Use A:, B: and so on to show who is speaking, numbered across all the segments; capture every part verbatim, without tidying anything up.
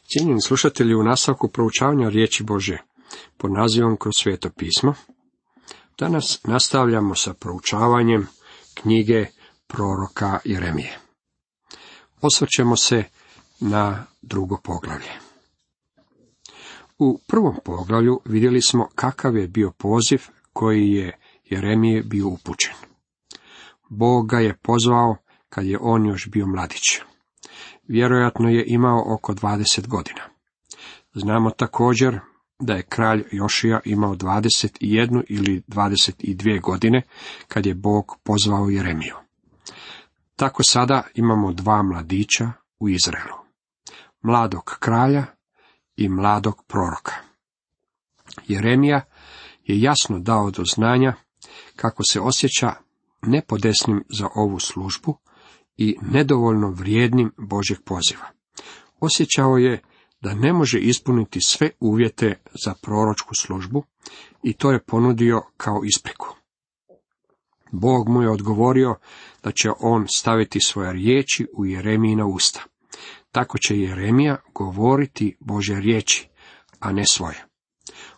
A: Cijenjeni slušatelji, u nastavku proučavanja riječi Božje pod nazivom Kroz sveto pismo, danas nastavljamo sa proučavanjem knjige proroka Jeremije. Osvrćemo se na drugo poglavlje. U prvom poglavlju vidjeli smo kakav je bio poziv koji je Jeremije bio upućen. Bog ga je pozvao kad je on još bio mladić. Vjerojatno je imao oko dvadeset godina. Znamo također da je kralj Jošija imao dvadeset jednu ili dvadeset dvije godine kad je Bog pozvao Jeremiju. Tako sada imamo dva mladića u Izraelu. Mladog kralja i mladog proroka. Jeremija je jasno dao do znanja kako se osjeća nepodesnim za ovu službu i nedovoljno vrijednim Božjeg poziva. Osjećao je da ne može ispuniti sve uvjete za proročku službu i to je ponudio kao ispriku. Bog mu je odgovorio da će on staviti svoje riječi u Jeremijina usta. Tako će Jeremija govoriti Božje riječi, a ne svoje.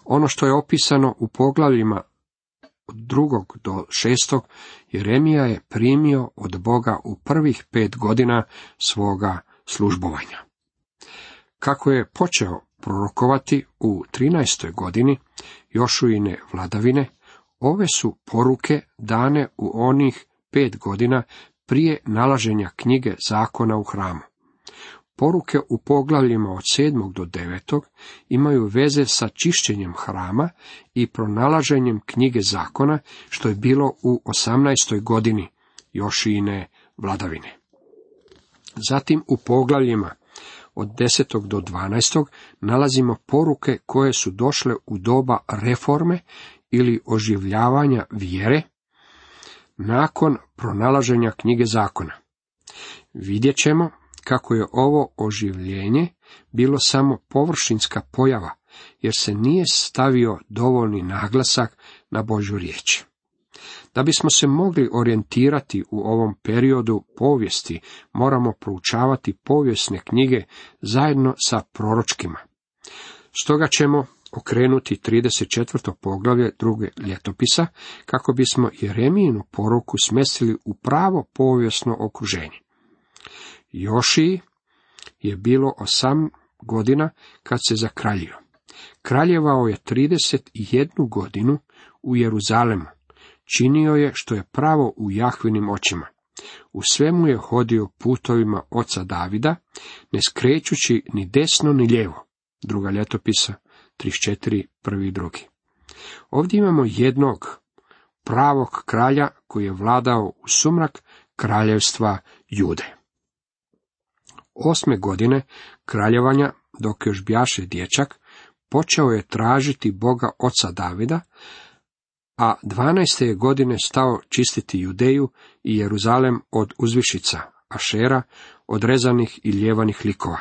A: Ono što je opisano u poglavljima od drugog do šestog, Jeremija je primio od Boga u prvih pet godina svoga službovanja. Kako je počeo prorokovati u trinaestoj godini Jošuine vladavine, ove su poruke dane u onih pet godina prije nalaženja knjige zakona u hramu. Poruke u poglavljima od sedmog do devetog imaju veze sa čišćenjem hrama i pronalaženjem knjige zakona, što je bilo u osamnaestoj godini Jošijine vladavine. Zatim u poglavljima od desetog do dvanaestog nalazimo poruke koje su došle u doba reforme ili oživljavanja vjere nakon pronalaženja knjige zakona. Vidjet ćemo kako je ovo oživljenje bilo samo površinska pojava, jer se nije stavio dovoljni naglasak na Božju riječ. Da bismo se mogli orijentirati u ovom periodu povijesti, moramo proučavati povijesne knjige zajedno sa proročkima. Stoga ćemo okrenuti trideset četvrto poglavlje druge ljetopisa, kako bismo Jeremijinu poruku smjestili u pravo povijesno okruženje. Jošiji je bilo osam godina kad se zakraljio. Kraljevao je trideset jednu godinu u Jeruzalemu. Činio je što je pravo u Jahvinim očima. U svemu je hodio putovima oca Davida, ne skrećući ni desno ni lijevo. Druga ljetopisa, trideset četiri, prvi i drugi. Ovdje imamo jednog pravog kralja koji je vladao u sumrak kraljevstva Jude. Osme godine kraljevanja, dok još bjaše dječak, počeo je tražiti Boga oca Davida, a dvanaeste je godine stao čistiti Judeju i Jeruzalem od uzvišica, Ašera, od rezanih i ljevanih likova.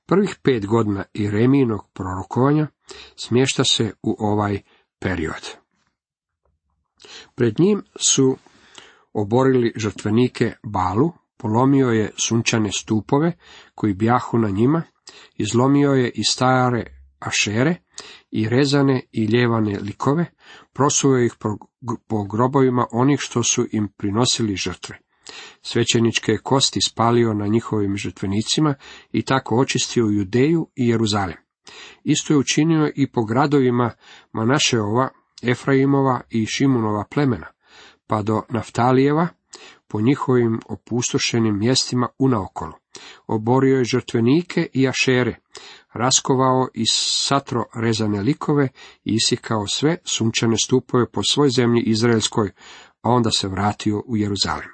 A: Prvih pet godina Jeremijinog prorokovanja smješta se u ovaj period. Pred njim su oborili žrtvenike Balu, polomio je sunčane stupove koji bjahu na njima, izlomio je i stare Ašere i rezane i ljevane likove, prosuo ih po grobovima onih što su im prinosili žrtve. Svećeničke kosti spalio na njihovim žrtvenicima i tako očistio Judeju i Jeruzalem. Isto je učinio i po gradovima Manašeova, Efraimova i Šimunova plemena, pa do Naftalijeva, po njihovim opustošenim mjestima unaokolo. Oborio je žrtvenike i Ašere, raskovao i satro rezane likove i isikao sve sunčane stupove po svoj zemlji izraelskoj, a onda se vratio u Jeruzalem.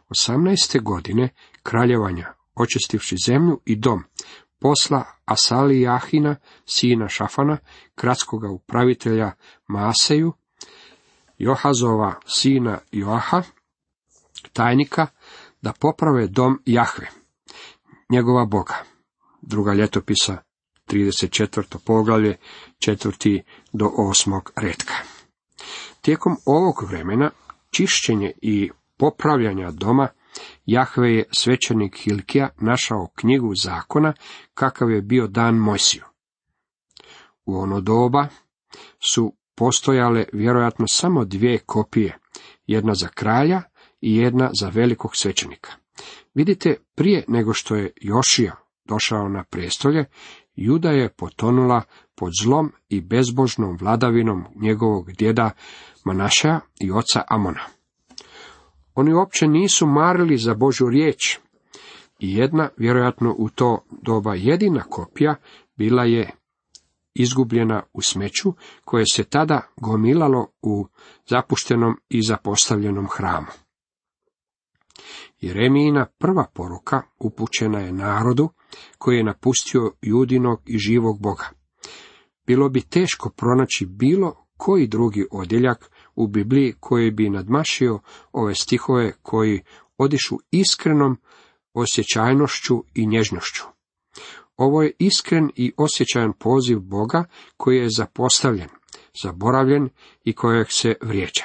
A: Osamnaeste godine kraljevanja, očistivši zemlju i dom, posla Asalijahina, sina Šafana, gradskoga upravitelja Maaseju, Johazova sina Joaha, tajnika, da poprave dom Jahve, njegova Boga. Druga ljetopisa, trideset četvrto poglavlje, četvrti do osmog retka. Tijekom ovog vremena čišćenje i popravljanja doma Jahve je svećenik Hilkija našao knjigu zakona kakav je bio dan Mojsiju. U ono doba su postojale vjerojatno samo dvije kopije, jedna za kralja i jedna za velikog svećenika. Vidite, prije nego što je Jošija došao na prijestolje, Juda je potonula pod zlom i bezbožnom vladavinom njegovog djeda Manašeja i oca Amona. Oni uopće nisu marili za Božju riječ i jedna, vjerojatno u to doba jedina kopija, bila je izgubljena u smeću koje se tada gomilalo u zapuštenom i zapostavljenom hramu. Jeremijina prva poruka upućena je narodu koji je napustio Judinog i živog Boga. Bilo bi teško pronaći bilo koji drugi odjeljak u Bibliji koji bi nadmašio ove stihove koji odišu iskrenom osjećajnošću i nježnošću. Ovo je iskren i osjećajan poziv Boga koji je zapostavljen, zaboravljen i kojeg se vrijeđa.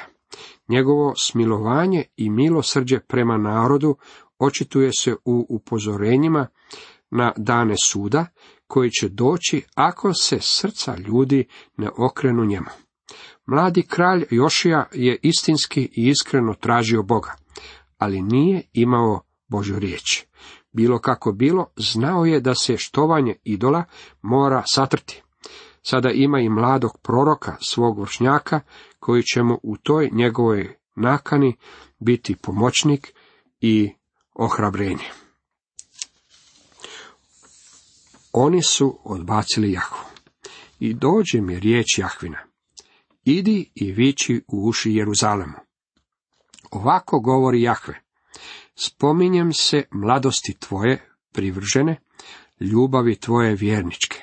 A: Njegovo smilovanje i milosrđe prema narodu očituje se u upozorenjima na dane suda koji će doći ako se srca ljudi ne okrenu njemu. Mladi kralj Jošija je istinski i iskreno tražio Boga, ali nije imao Božju riječ. Bilo kako bilo, znao je da se štovanje idola mora satrti. Sada ima i mladog proroka, svog vršnjaka, koji će mu u toj njegovoj nakani biti pomoćnik i ohrabrenje. Oni su odbacili Jahvu. I dođe mi riječ Jahvina: idi i viči u uši Jeruzalemu. Ovako govori Jahve: spominjem se mladosti tvoje privržene, ljubavi tvoje vjerničke.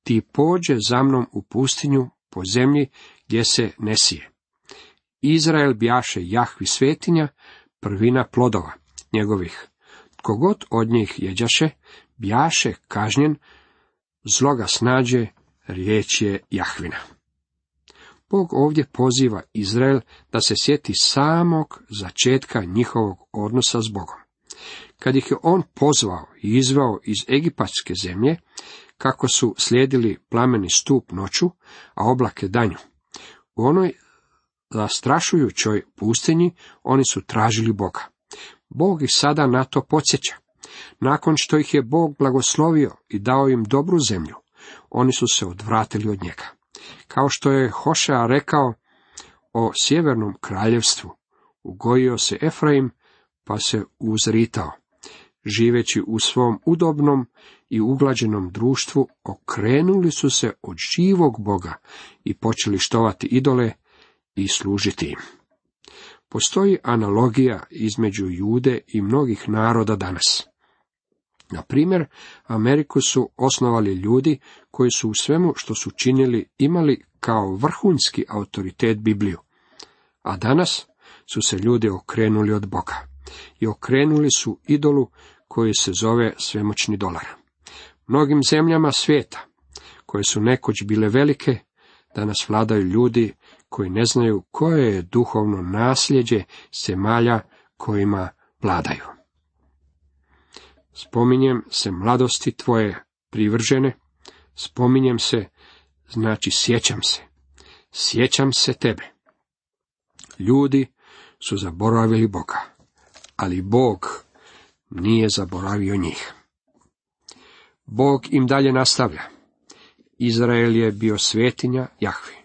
A: Ti pođe za mnom u pustinju po zemlji gdje se ne sije. Izrael bjaše Jahvi svetinja, prvina plodova njegovih. Tko god od njih jeđaše, bjaše kažnjen, zlo ga snađe, riječ je Jahvina. Bog ovdje poziva Izrael da se sjeti samog začetka njihovog odnosa s Bogom. Kad ih je on pozvao i izveo iz egipatske zemlje, kako su slijedili plameni stup noću, a oblake danju. U onoj zastrašujućoj pustinji oni su tražili Boga. Bog ih sada na to podsjeća. Nakon što ih je Bog blagoslovio i dao im dobru zemlju, oni su se odvratili od njega. Kao što je Hošea rekao o sjevernom kraljevstvu, ugojio se Efraim, pa se uzritao. Živeći u svom udobnom i uglađenom društvu, okrenuli su se od živog Boga i počeli štovati idole i služiti im. Postoji analogija između Jude i mnogih naroda danas. Na primjer, Ameriku su osnovali ljudi koji su u svemu što su činili imali kao vrhunski autoritet Bibliju. A danas su se ljudi okrenuli od Boga i okrenuli su idolu koji se zove svemoćni dolar. Mnogim zemljama svijeta, koje su nekoć bile velike, danas vladaju ljudi koji ne znaju koje je duhovno nasljeđe zemalja kojima vladaju. Spominjem se mladosti tvoje privržene, spominjem se, znači sjećam se, sjećam se tebe. Ljudi su zaboravili Boga, ali Bog nije zaboravio njih. Bog im dalje nastavlja. Izrael je bio svetinja Jahvi.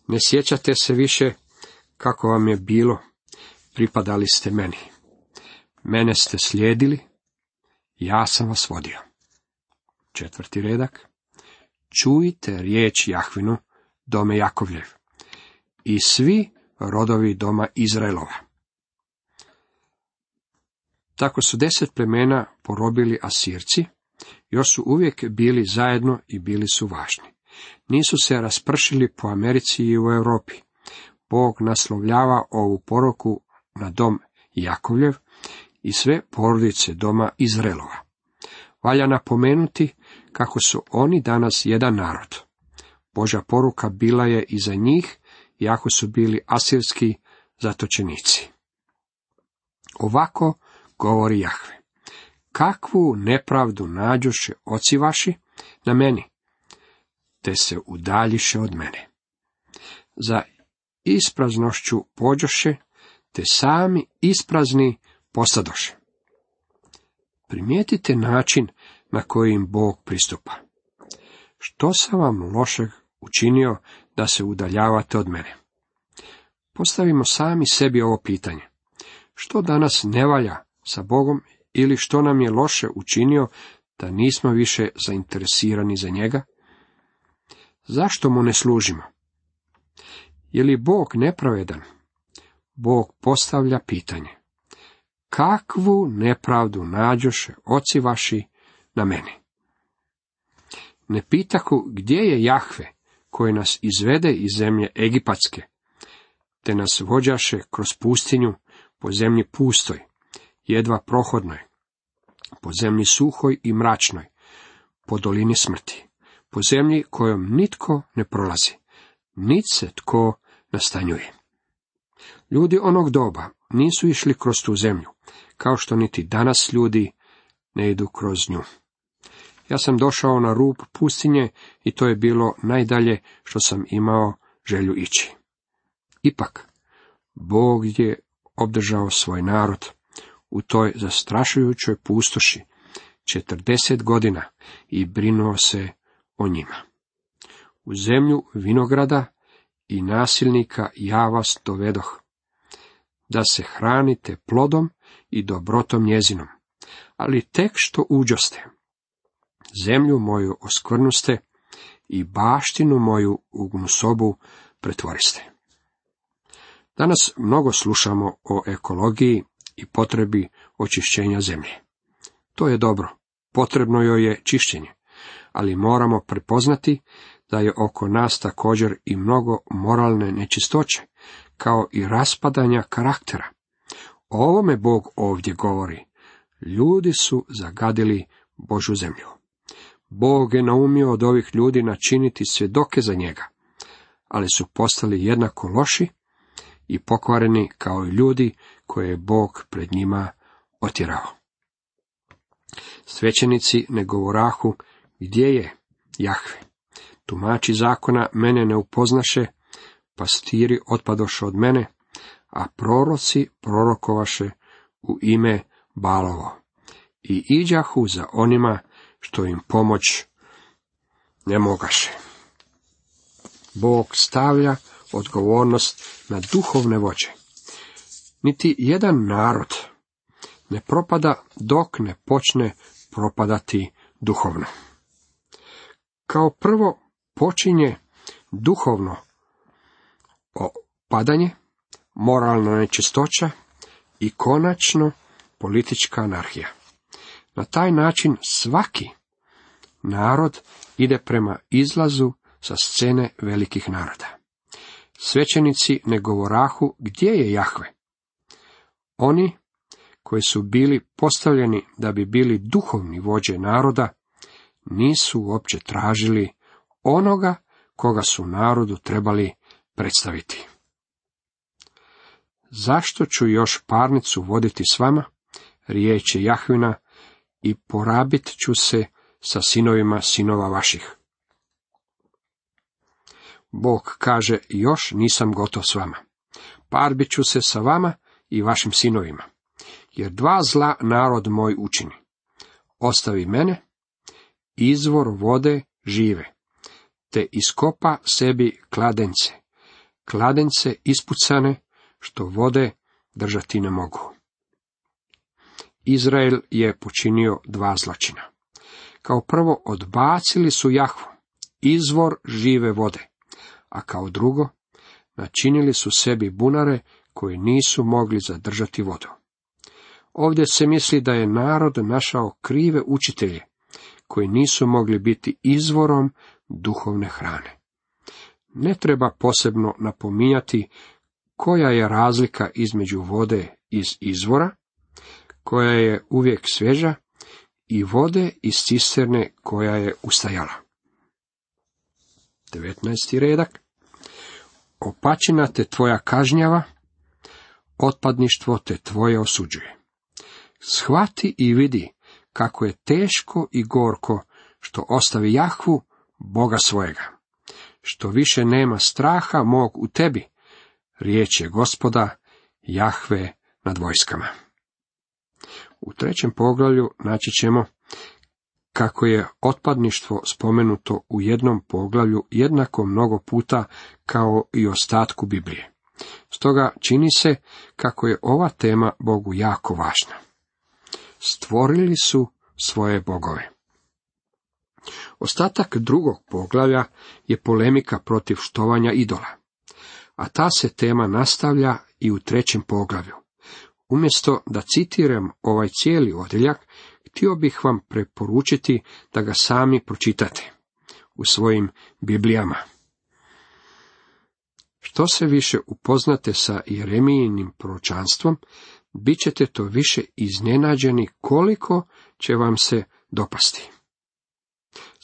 A: Ne sjećate se više kako vam je bilo, pripadali ste meni. Mene ste slijedili, ja sam vas vodio. Četvrti redak. Čujte riječ Jahvinu, dome Jakovljev, i svi rodovi doma Izraelova. Tako su deset plemena porobili Asirci, još su uvijek bili zajedno i bili su važni. Nisu se raspršili po Americi i u Europi. Bog naslovljava ovu poruku na dom Jakovljev i sve porodice doma Izraelova. Valja napomenuti kako su oni danas jedan narod. Božja poruka bila je i za njih, iako su bili asirski zatočenici. Ovako govori Jahve. Kakvu nepravdu nađoše oci vaši na meni, te se udaljiše od mene. Za ispraznošću pođoše, te sami isprazni postadoše. Primijetite način na koji im Bog pristupa. Što sam vam lošeg učinio da se udaljavate od mene? Postavimo sami sebi ovo pitanje. Što danas ne valja sa Bogom ili što nam je loše učinio da nismo više zainteresirani za njega? Zašto mu ne služimo? Je li Bog nepravedan? Bog postavlja pitanje. Kakvu nepravdu nađoše oci vaši na meni? Ne pitaku gdje je Jahve koji nas izvede iz zemlje Egipatske, te nas vođaše kroz pustinju po zemlji pustoj, jedva prohodnoj, po zemlji suhoj i mračnoj, po dolini smrti, po zemlji kojom nitko ne prolazi, nit se tko nastanjuje. Ljudi onog doba nisu išli kroz tu zemlju, kao što niti danas ljudi ne idu kroz nju. Ja sam došao na rub pustinje i to je bilo najdalje što sam imao želju ići. Ipak, Bog je obdržao svoj narod u toj zastrašujućoj pustoši četrdeset godina i brinuo se o njima. U zemlju vinograda i nasilnika ja vas dovedoh, da se hranite plodom i dobrotom njezinom, ali tek što uđoste, zemlju moju oskvrnuste i baštinu moju u gnusobu pretvoriste. Danas mnogo slušamo o ekologiji i potrebi očišćenja zemlje. To je dobro, potrebno joj je čišćenje, ali moramo prepoznati da je oko nas također i mnogo moralne nečistoće, kao i raspadanja karaktera. O ovome Bog ovdje govori. Ljudi su zagadili Božju zemlju. Bog je naumio od ovih ljudi načiniti svjedoke za njega, ali su postali jednako loši i pokvareni kao i ljudi koje je Bog pred njima otjerao. Svećenici ne govorahu gdje je Jahve. Tumači zakona mene ne upoznaše, pastiri otpadoše od mene, a proroci prorokovaše u ime Balovo i iđahu za onima što im pomoć ne mogaše. Bog stavlja odgovornost na duhovne vođe. Niti jedan narod ne propada dok ne počne propadati duhovno. Kao prvo počinje duhovno opadanje, moralna nečistoća i konačno politička anarhija. Na taj način svaki narod ide prema izlazu sa scene velikih naroda. Svećenici ne govorahu gdje je Jahve. Oni koji su bili postavljeni da bi bili duhovni vođe naroda, nisu uopće tražili onoga koga su narodu trebali predstaviti. Zašto ću još parnicu voditi s vama, riječ je Jahvina, i porabit ću se sa sinovima sinova vaših. Bog kaže, još nisam gotov s vama. Parbit ću se sa vama i vašim sinovima, jer dva zla narod moj učini. Ostavi mene, izvor vode žive, te iskopa sebi kladence, kladence ispucane, što vode držati ne mogu. Izrael je počinio dva zločina. Kao prvo odbacili su Jahvu, izvor žive vode, a kao drugo načinili su sebi bunare koji nisu mogli zadržati vodu. Ovdje se misli da je narod našao krive učitelje, koji nisu mogli biti izvorom duhovne hrane. Ne treba posebno napominjati koja je razlika između vode iz izvora, koja je uvijek svježa, i vode iz cisterne koja je ustajala. devetnaesti redak. Opačina te tvoja kažnjava, otpadništvo te tvoje osuđuje. Shvati i vidi kako je teško i gorko što ostavi Jahvu, Boga svojega. Što više nema straha mog u tebi, riječ je Gospoda, Jahve nad vojskama. U trećem poglavlju naći ćemo kako je otpadništvo spomenuto u jednom poglavlju jednako mnogo puta kao i ostatku Biblije. Stoga čini se kako je ova tema Bogu jako važna. Stvorili su svoje bogove. Ostatak drugog poglavlja je polemika protiv štovanja idola, a ta se tema nastavlja i u trećem poglavlju. Umjesto da citiram ovaj cijeli odjeljak, htio bih vam preporučiti da ga sami pročitate u svojim Biblijama. Što se više upoznate sa Jeremijinim proročanstvom, bit ćete to više iznenađeni koliko će vam se dopasti.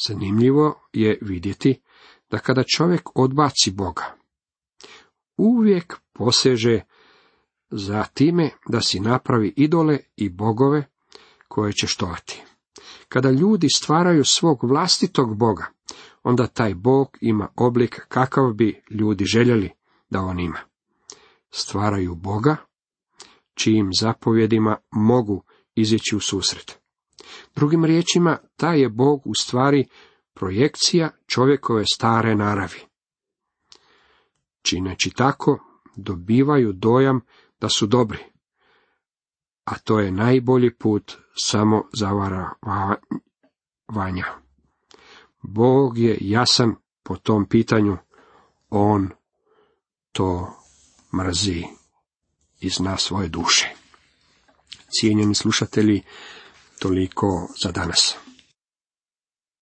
A: Zanimljivo je vidjeti da kada čovjek odbaci Boga, uvijek poseže za time da si napravi idole i bogove koje će štovati. Kada ljudi stvaraju svog vlastitog Boga, onda taj Bog ima oblik kakav bi ljudi željeli da on ima. Stvaraju Boga, čijim zapovjedima mogu izići u susret. Drugim riječima, taj je Bog u stvari projekcija čovjekove stare naravi. Čineći tako, dobivaju dojam da su dobri, a to je najbolji put samo zavaravanja. Bog je jasan po tom pitanju, on to mrzi iz nas svoje duše. Cijenjeni slušatelji, toliko za danas.